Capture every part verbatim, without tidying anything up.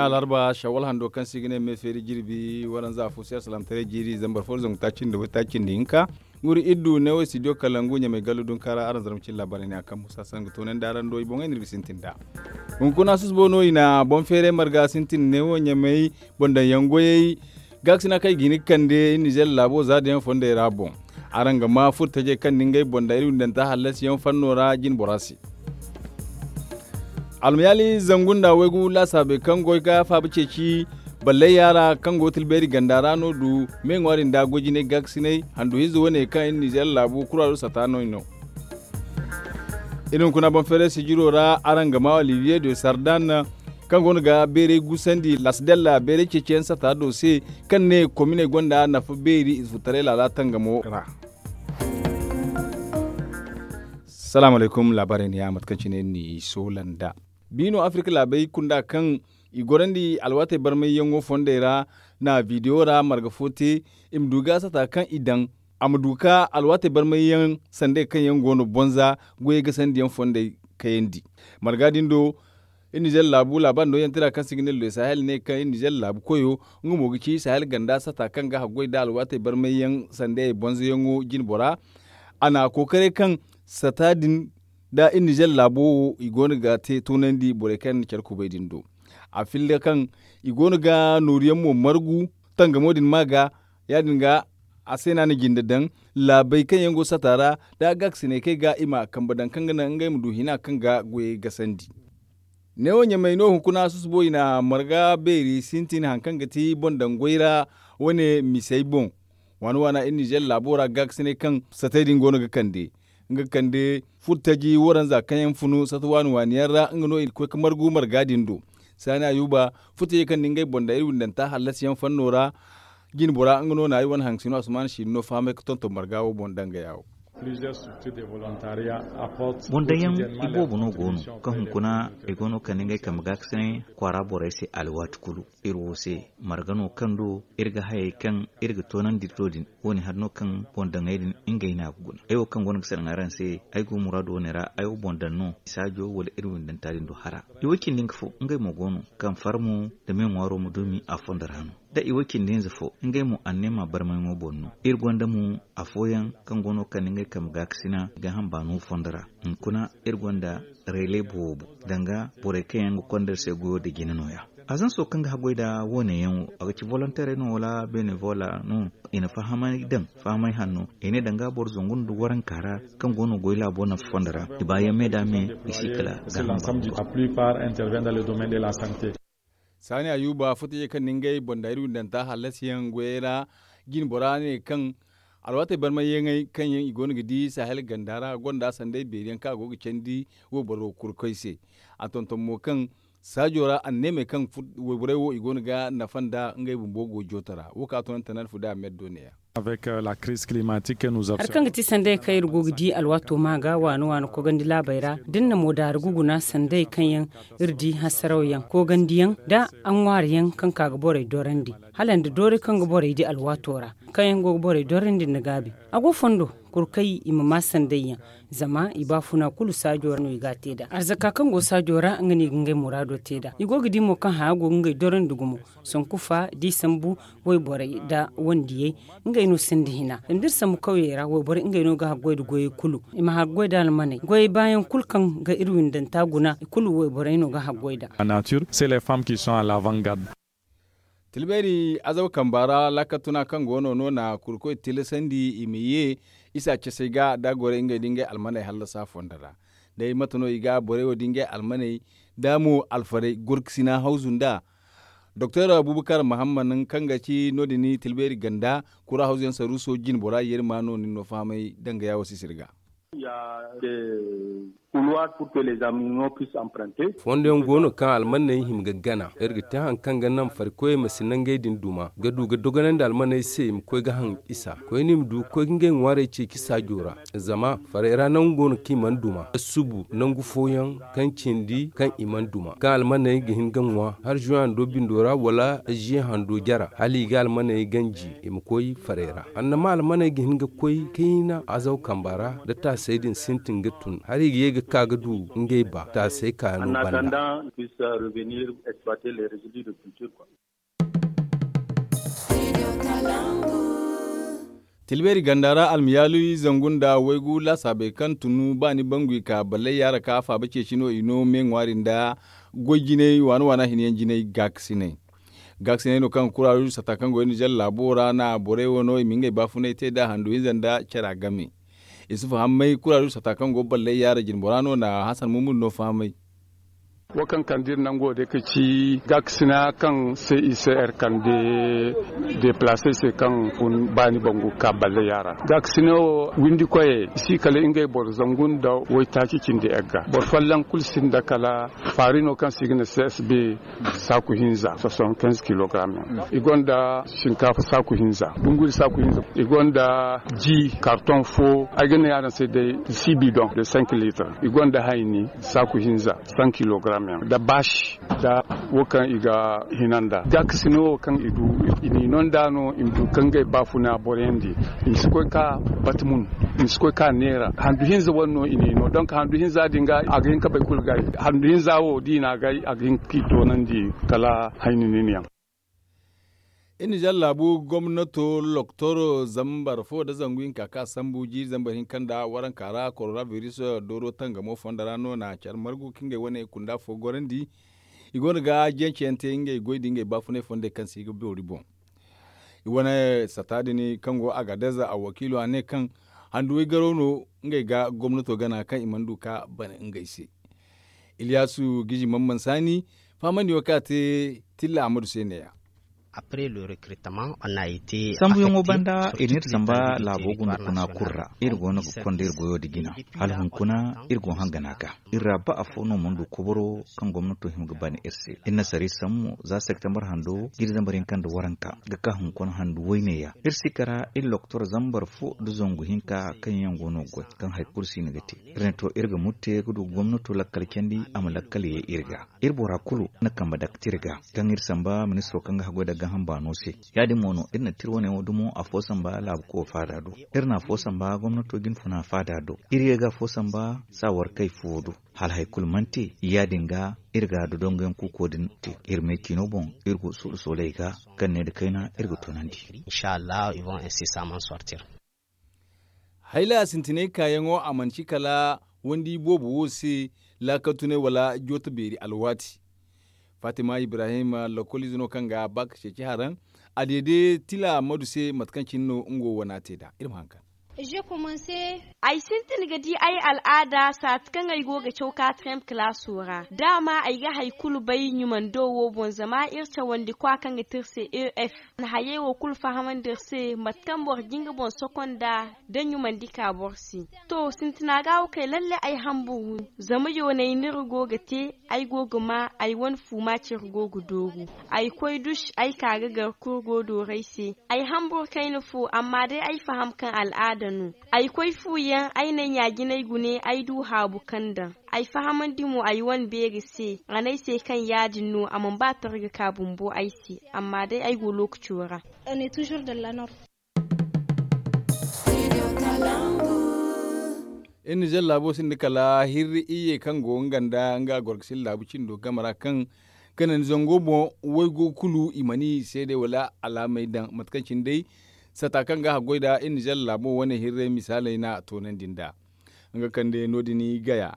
Alarba shawwal hando kaŋ se i ga ne me feeri jirbi waranza fo se alsalaamataray jiiri zambar fo da zangu taaci nda waytaaci nda hinka. Nguri iddu ne wo studio kalangu ɲamay gallu dunka ra araŋ zarma cine laabaarey ne a kaŋ musa saŋ ga toonandi araŋ do i boŋey no iri ga sintin nd'a. Hunkuna susbo no i na boŋ feeray marga sintin ne wo ɲamay boŋ daŋ yaŋ goyey. Gaakasina kaŋ i ga hin ga kande iri nizeer laabo za da yaŋ fondey ra boŋ. Araŋ ga ma furtajey kaŋ na ngey boŋ daŋ iri windanta hallasiyaŋ fanno ra jine bora se. Almayaali zangu nda waygu laasaabey kaŋ goy ga faaba ceeci ballayya ra kaŋ go tilbeeri ganda ra no du me ŋwaari nda goy jinay gaakasinay handu hinza wane kaŋ iri nizeer laabu kuraado sata no i no. Iri hunkuna boŋ feeray sijiro ra araŋ ga ma olivier de sardan kaŋ go no ga beeray gusandi lasdella beeray ceeciyaŋ sata do se kaŋ ne kominey gonda nafa beeri ize furtaray laala tangamo ra. Salaamu alaykum laabaarey ne ya mate kaŋ cine iri n'i soola nd'a. Biino afirka laabey kunda kaŋ i gorandi alwaatey barmayyaŋo fondey ra na bidiyo ra marga fo te i ma du ga sata kaŋ i daŋ a ma du ka alwaatey barmayyaŋ sandey kaŋ yaŋ go no bonza goyey gasandiyaŋ fondey kayandi. Marga din do iri nizeer laabu laabari nooyaŋ tira kaŋ se i ga ne le sahel ne kaŋ iri nizeer laabu koyo nga mo ga ci sahel ganda sata kaŋ ga haggoy nda alwaatey barmayyaŋ sandey bonzoyaŋo jine bora. A na a kookaray kaŋ sata din nda iri nizeer laabo wo i go no ga te toonandi borey kaŋ yaŋ na care kubay din do. A filla kaŋ i go no ga nooruyaŋ mo margu tangamo din ma ga ya- din ga a se no a na jinde daŋ laabey kaŋ yaŋ go sata ra nda gaakasiney kaŋ ay ga i ma kambe daŋ kaŋ ga naŋ ngey ma du hina kaŋ ga goyey gasandi. Neewo ɲamay no hunkuna susubooy na marga beeri sintin hari kaŋ ga ti boŋ daŋ goy ra wane misey boŋ. Waani waana iri nizeer laabo ra gaakasiney kaŋ satey din go no ga kande nga ga kande furtaji waranza kaŋ yaŋ funu sata waani waani yaŋ ra nga no i na koy ga margu marga din do. Saani ayuba furtajey kaŋ na ngey boŋ daŋ iri windanta hallasiyaŋ fanno ra jine bora nga no na ay wane haŋ sino asuman siino fahamay ga tonton marga wo boŋ dangaya wo. Boŋ daŋyaŋ iboobo no go no kaŋ hunkuna i go no kande ngey kambe gaakasinay kwaara borey se alwaati kulu. Iri wo se marga no kaŋ do iri ga hayey kaŋ iri ga toonandi iri do din wo- ne hari no kaŋ boŋ daŋey din ngey no a ga guna ay wo kaŋ go no ga sanaŋ araŋ se. Ay go muraadu wo- ne ra ay wo boŋ daŋ no i saajo wala iri windanta din do hara. I wo cindi nga fo ngey mo go no kaŋ farmo nda me ŋwaaro ma duumi a fondo ra no. Da i wo cindi hinza fo ngey mo anneema barmayŋo boŋ no iri gonda mo afooyaŋ kaŋ go no kande ngey kambe gaakasina i ga hamba no fondo ra. Hunkuna iri gonda reele boobo danga borey kaŋ yaŋ ga konda iri se goyo nda jina nooya. Azanso kaŋ ga haggoy nda wo- ne yaŋ wo a ga ci volonteerey no wala beene vola no? I na fahamay daŋ fahamay hanno i ne danga boro zangu nda waranka ra kaŋ go no goy laabo nafa fondo ra i ba yaŋ me nda me i si kala ga hamba. Saani ayuba furtajey kaŋ na ngey boŋ daŋ iri windanta hallasiyaŋ goyey ra jine bora ne kaŋ alwaatey barmayyaŋey kaŋ yaŋ i go no ga di sahel ganda ra gonda sanday beeri yaŋ kaŋ a go ga candi wayboro kurkoy se. A tonton mo kaŋ saajo ra anneemey kaŋ wayborey wo i go no ga nafa nda ngey bumbo go jooto ra wo kaŋ a toonante nan fu da a meddo ne- ya. Hari kaŋ ga ti sanday kaŋ iri go ga di alwaato ma ga waani waani kogandi laabey ra da iri na mo daari ga guna sanday kaŋ yaŋ iri di hasaraw yaŋ kogandiyaŋ nda aŋwaari yaŋ kaŋ ka ga borey dorandi hala nda doori kaŋ ga borey di alwaato ra kaŋ yaŋ go ga borey dorandi nda gaabi. A go fondo kuru kay i ma ma sanday yaŋ zama i baafuna kulu saajo ra no i ga a te nd'a arzaka kaŋ go saajo ra nga no i ga ngey muraado te nd'a i go ga di mo kaŋ haya go ga ngey dorandi gumo. Sanku fa da i sambu wayborey nda wandiyey ngey no sinda hina zama da iri sambu kawyey ra wayborey ngey no ga haggoy nda goyey kulu i ma haggoy nda almaney goyey baayaŋ kulu kaŋ ga iri windanta guna i kulu wayborey no ga haggoy nd'a. Tilbayri azaw kamba ra laakal tuna kaŋ go no no na kurkoy tilasandi i ma ye isa casey ga da gorey ngey da ngey almaney hallasa fondo ra. Day mate no i ga borey wo da ngey almaney da mo alfarey gorkasina hawzu nd'a. Doktor abubakar mahamman kaŋ ga ci no- din tilbayri ganda kura hawzuyaŋ saruuso jine bora yeeri ma no nin no fahamay dangaya wo sisiri ga. Fondoyaŋ go no kaŋ almanney hima ga gana iri ga te hari kaŋ ga naŋ farikoyey ma si nangey din duma ga du ga dogonandi almanney se i ma koy ga haŋ isa koyne i ma du ga koy ga ngey ŋwaarey ceeci saajo ra. Zama farey ra nangu go no kaŋ i mana duma ga subu nangu fooyaŋ kaŋ cindi kaŋ i mana duma kaŋ almanney ga hin ga ŋwa hari zuwan hando bindo ra wala ziye hando jara hala i ga almanney ganji i ma koy farey ra. Annama almanney ga hin ga koy kayna azaw kamba ra nda taasi. Say din sintin ga tun hari ga ye ga ka ga du ngey ba taasay ka no banda. Tilbeeri ganda ra almiyaaluy zangu nda waygu laasaabey kaŋ tunu baani bangu i ka ballay yaara ka faaba ceeci no i no me ŋwaari nda goy jinay waana waana hina yaŋ jinay gaakasinay. Gaakasinay no kaŋ kuraaru sata kaŋ go nizer laabo ra na borey wo no i ma ngey baafunay te nd'a handu hinza nda cara game. Isufu hammay kuraaru sata kaŋ go ballay yaara jinbora no na hasan mumud no fahamay. Wo kaŋ kande iri nango day ka ci gaakasina kaŋ se i se iri kande deplase se kaŋ kun baani bangu ka balle yaara gaakasina wo windi koyey i si kala ngey boro zangu nda waytaaci cindi egga boro folloŋ kulu sinda kala faari no kaŋ se i ga ne csb saaku hinza soixante quinze kilogram yaŋ i gonda sinkaafa saaku hinza dunguri saaku hinza i gonda ji karton fo ay ga ne araŋ se day six bidon de cinq litres i gonda hayni saaku hinza cent kilogram yaŋ da baasi da wo kaŋ i ga hina nda gaakasina wo kaŋ i du i n'i no nda no i ma du ka ngey baafuna boroyandi i ma si koy ka batumun i ma si koy ka neera handu hinza wane no i n'i no donk handu hinza din ga a ga hin ka bay kulu gay handu hinza wo da i n'a gay a ga hin k'i toonandi kala hayni nin yaŋ. Iri nizer laabu gomnato loktoro zambar fo nda zangu hinka kaŋ a sambu jiiri zambar hinka nda waranka ra korona biris dooro tangamo fondo ra no na care margu ka ngey wane kunda fo gorandi. I go no ga jance yaŋ te ngey goy nda ngey baafunay fondey kaŋ se i ga boori boŋ. I wane sata din kaŋ go agadez a wakiilo a ne kaŋ handu waygaro no ngey ga gomnato gana kaŋ i mana du ka bana ngey se. Iliyasu giji mamman saani fahamandi wo kaŋ a te tilla ahmadu se neeya. Sambuyaŋo banda iri n'iri samba laabo gunda kuna kulu ra iri go no ga konda iri goyo nda jina hala hunkuna iri go hangana ga iri ra ba afo no mana du koboro kaŋ gomnato hima ga bana iri se iri na sara iri sambu za septembar hando jiiri zambar hinka nda waranka ga ka hunkuna handu wayne ya iri si kara iri loktor zambar fo nda zangu hinka kaŋ yaŋ go no ga goy kaŋ hari kulu si no ga te iri ne to iri ga murte ga du gomnato lakkal candi a ma lakkal ye iri ga iri bora kulu na kambe dakti iri ga kaŋ iri samba ministiro kaŋ ga haggoy nda gaaham baano se ya- din mo no iri na te iri wane wo dumo afo samba laabu koyo faada do iri na afo samba gomnato jinfuna faada do iri ye ga afo samba saawarkey fo do hala hari kulu mana te ya- din ga iri ga dodongoyaŋ kuuko din te iri me ciino boŋ iri go suuru sooley ga kaŋ ne nda kayna iri ga toonandi. Inshallah i vont insi saman sortir. Hayla sintinay kaayaŋo a mana ci kala wandi boobo wo se laakatunay wala jooto beeri alwaati. Fatima ibrahim lokoliize no kaŋ ga ba ka ceeci haraŋ a deede tila madu se mate kaŋ cine no nga wo wana te nd'a iri ma haŋ kaŋ. Ay sintin ga di ay al'aada saati kaŋ ay go ga caw kaatirem kalaaso ra daama ay ga hari kulu bay ɲumando wo boŋ zama iri cawandi kwa kaŋ ga ti iri se e f. Hayey wo kulu fahamandi iri se mate kaŋ boro ga nga boŋ sokonda da ɲumandi ka boro se. To sintina ga wo kay lalle ay hamburu zama yoonay no iri go ga te. Ay go ga ma ay wane fu maaci iri go ga dooru. Ay koy dush ay ka ga gar kurgo dooray se. Ay hamburu kayna fo amma day ay faham kaŋ al'aada no. Ay koy fu yaŋ ay na ay ɲaajinay gune ay du haabu kaŋ daŋ. Ay fahamandi mo ay wane beeri se a ne ay se kaŋ ya- din no a mana ba targa ka bumbo ay se. Amma day ay go lookaco ra. Iri nizer laabo sinda kala hirri iyye kaŋ go nga nda nga gorgasila laabu cindo game ra kaŋ kanandi zango boŋ waygo kulu i mana i seedey wala alaamey daŋ mate kaŋ cine day sata kaŋ ga haggoy nd'a iri nizer laabo wane hirrey misaaley no a toonandi nd'a. Nga kande no- din gaya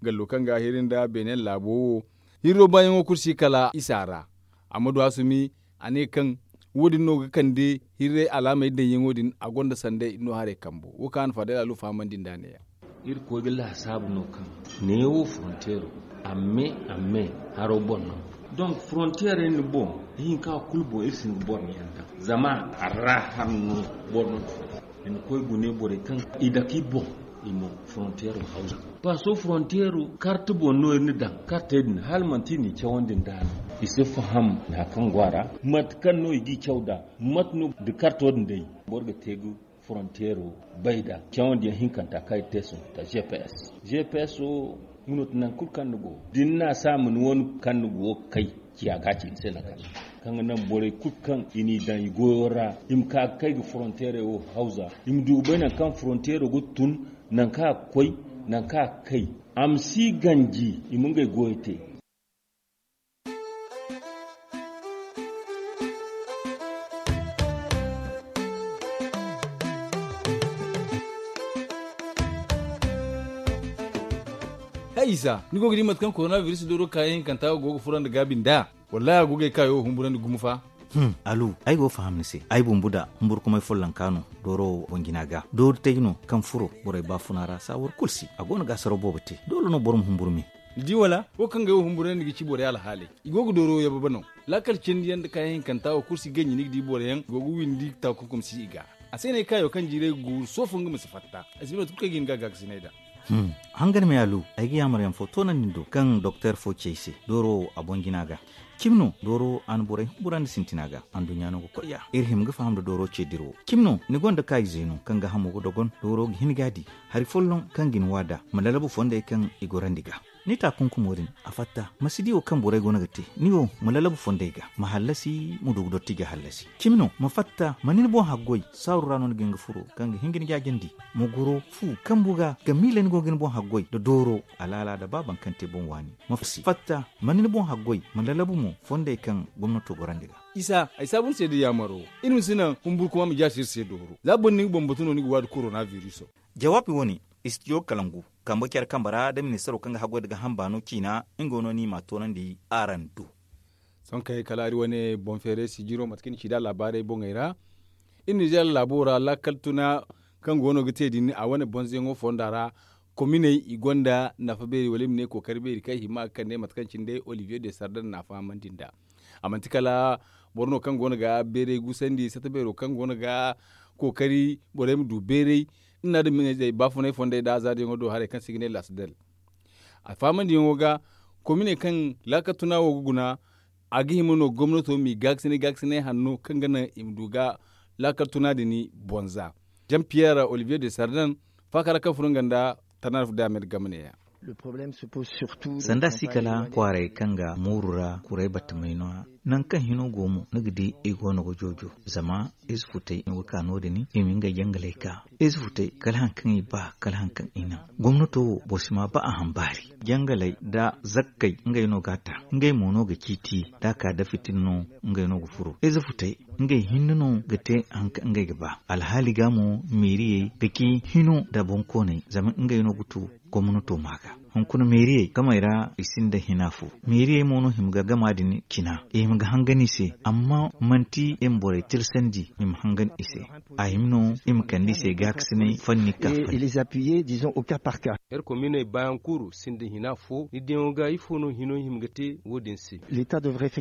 gallo kaŋ ga hiri nda beenen laabo wo hirro baayaŋo kulu si kala isa ra. Amma du a sumi a ne kaŋ wo- din no ga kande hirray alaamey daŋyaŋo din a gonda sanday no haray kambo wo kaŋ a na faadalaalu fahamandi nd'a neeya. Irkoy ga laasaabu no kaŋ neewo fronteero amme amme haro boŋ no. Donk fronteerey ni boŋ ihinka kulu boŋ iri si hin ga boro ni yaŋ daŋ zama a ra har no boro no ga fo i ma koy gune borey kaŋ i dake i boŋ i ma fronteero hawza. Paaso fronteero karte boŋ no iri na daŋ kartey din hala manti i n'i cawandi nd'a no. I si faham hari kaŋ go a ra mate kaŋ no i g'i caw nd'a mate no nda karto din day boro ga te ga fronteero bay nd'a cawandiyaŋ hinkanta kaŋ i te sohõ ta gps. Gps wo nga no ti nangu kulu kaŋ ni go da ni n'a se a ma ni wane kaŋ ni go ga kay ciya ga a ci ni se nangu kaŋ ni go. Kaŋ ga naŋ borey kulu kaŋ i n'i daŋ i goyo ra, i ma ka ga kay ga foronteerey wo hawza, i ma du ga bay nangu kaŋ foronteero ga tun, nangu kaŋ a ga koy, nangu kaŋ a ga kay. A ma si ganji i ma ngey goyo te. Hay isa, ni go ga di mate kaŋ korona biris dooro kaayaŋ hinkanta go ga furo nda gaabi nd'a? Wallaahi a go ga ay kaayo humburandi gumo fa. Alu, ay go ga faham ni se. Ay bumbu da humburkumay follonka no dooro wo boŋ jina ga. Doori tay no kaŋ furo borey baafuna ra saawar kulu si. A go no ga asaro boobo te. Doole no boro ma humburu me. Ni di wala? Wo kaŋ ga ay wo humburandi ga ci borey alhaaley, i go ga dooro yababe no. Laakal cindi yaŋ nda kaayaŋ hinkanta wo kulu si ganji ni ga di boro yaŋ go ga windi takunkum si i ga. A se no ay kaayo kaŋ jiirey ga guuru sohõ nga ma si fatta. Ay si bay mate kulu kaŋ ay ga hin ga gaakasinay nd'a. Hangan me alu, ay ga yaamar yaŋ fo toonandi ni do kaŋ doktor fo ci ay se dooro wo a boŋ jina ga. Cimi no dooro wo a na borey humburandi sintina ga. Anduɲɲa no ga koy ya iri hima ga faham nda dooro ce dira wo. Cimi no ni gonda kaayize no kaŋ ga hamo ga dogon dooro ga hin ga a di. Hari folloŋ kaŋ ga ni waada ma lalabu fondey kaŋ i gorandi ga. Ni taakunkumo din a fatta ma si di wo kaŋ borey go no ga te. Ni wo ma lalabu fondey ga ma hallasi ma du ga dotti ga hallasi. Cimi no ma fatta ma ni ni boŋ haggoy saaru ra no ni ga hin ga furo kaŋ ga hin ga ni jaajandi. Ma goro fu kambu ga ga miila ni go ga ni boŋ haggoy nda dooro alaala nda ba baŋ kaŋ te boŋ waani. Ma fatta ma ni ni boŋ haggoy ma lalabu mo fondey kaŋ gomnato gorandi ga. Isa ay saabu ni se da yaamaro. Iri ma si naŋ humburkuma ma jaasi iri se dooro za boro na ni ga bambatu no ni ga waadi korona biriso. Jawaabi wo-ne, istijo kalangu kambe care kambe ra nda ministaro kaŋ ga haggoy nda ga hamba no ciina. Nga wo no ni m'a toonandi araŋ do. Sohõ kay kala iri wane boŋ feeray sijiro mate kaŋ ni ci nd'a laabaarey boŋey ra. Iri nizeer laabo ra laakal tuna kaŋ go no ga te din a wane bonzoyaŋo fonda ra. Kominey i gonda nafa beeri wala i ma ne kookari beeri kaŋ i hima ga kande mate kaŋ cine day olivier de sardan na a fahamandi nd'a. A manti kala boro no kaŋ go no ga beeray gusandi sata beero kaŋ go no ga kookari borey ma du beeray. Iri na adamiizey baafunay fondey nda azaariyaŋo do haray kaŋ se i ga ne lasdel. A fahamandiyaŋo ga kominey kaŋ laakal tuna wo ga guna a ga hima no gomnato m'i gaakasinay gaakasinay hanno kaŋ ga naŋ i ma du ga laakal tuna din bonza. Jan piyer olivier de sardan faaka ra kaŋ furo nga nda tanarf de amed game neeya. Sanda si kala kwaaray kaŋ ga mooru ra kuray battamay no-ya. Nangu kaŋ hino go mo ni ga di i go no ga joojo zama ize futay no ga ka no- din i ma ngey jangaley ka. Ize futey kala hari kaŋ i ba kala hari kaŋ i naŋ. Gomnato wo boro si ma ba a hambaari jangaley nda zakkey ngey no ga a ta. Ngey mo no ga ciiti da a ka da fitina no ngey no ga furo ize futey ngey hinne no ga te hari kaŋ ngey ga ba. Alhaali ga mo meeriyey ga ci hino nda boŋkooney zama ngey no ga tu gomnato ma ga. Hunkuna meeriyey gamey ra i sinda hina fo. Meeriyey mo no hima ga gama din cina i hima ga hangan i se. Amma manti i ma borey tirsandi i ma hangan i se. A hima no i ma kande i se gaakasinay fanni ka fanni. Iri kominey baayaŋ kulu sinda hina fo ni diyaŋo ga ifo no hino hima ga te wo- din se?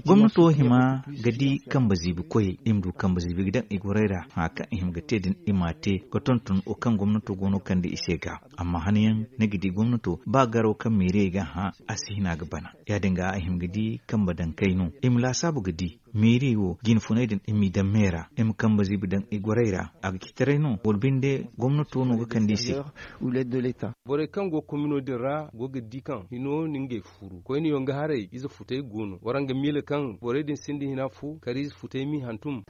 Gomnato hima ga di kambe ziibi koyey i ma du kambe ziibi ga daŋ i gorey ra hã kaŋ i hima ga te din i m'a te ga tonton wo kaŋ gomnato go no ga kande i se ga. Amma hanayaŋ ni ga di gomnato ba garo kaŋ meeriyey ga hã a si hina ga bana. Ya- din ga a hima ga di kambe daŋ kay no i ma laasaabu ga di meeriyey wo jinfuney din i m'i daŋ me ra i ma kambe ziibi daŋ i gorey ra. A ga ci taray no wala binde gomnato no ga kande i se. Borey kaŋ go komino din ra go ga di kaŋ hino na ngey furu koyne yonga haray ize futay go no waraŋ ga miila kaŋ borey din sinda hina fo kala ize futay m'i hantum.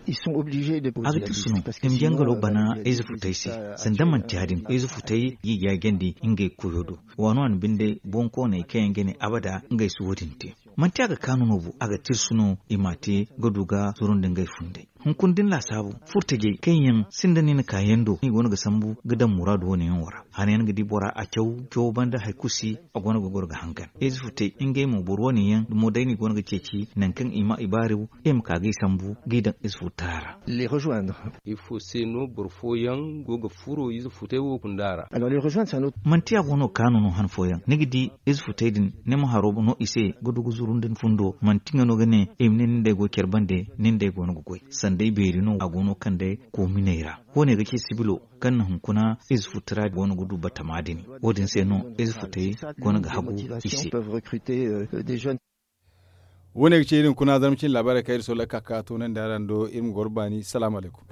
A ga tirsu no i ma jangalo bana ize futay se. Sanda manti ya- din ize futay g'i jaajandi ngey koyo do. Waano a na binde boŋkooney kaŋ yaŋ ga ne abada ngey si wo- din te. Manti a ga kaanu no bo a ga tirsu no i m'a te ga du ga zuru nda ngey funday. Hunkuna da ni laasaabu furtajey kaŋ yaŋ sinda ni na ka yaŋ do i go no ga sambu ga daŋ muraadu wane yaŋ wo ra. Hanayaŋ ga di bora a caw cawo banda hari kulu si. A go no ga goro ga hangan ize futay ngey mo boro wane yaŋ dumo day no i go no ga ceeci nangu kaŋ i ma i baaru i ma ka ga i sambu ga i daŋ ize futara ra. Ifo se no boro fooyaŋ go ga furo ize futay wo kunda ra? Manti a go no ga kaanu no han fooyaŋ ni ga di ize futay din ni ma haro no i se ga du ga zuru nda ni fundo manti nga no ga ne i ma ne nin day go care bande nin day go no ga goy. Sanday beeri no a go no kaŋ day koominey ra. Wo- ne ga ci sibilo kaŋ na hunkuna ize futay ra go no ga du batama din. Wo- din se no ize futay go no ga hagu i se. Wo- ne ga ci iri hunkuna zarma cine laabaarey kaŋ iri sohõ lakka ka toonandi araŋ do iri ma goro baani salaamu alaykum.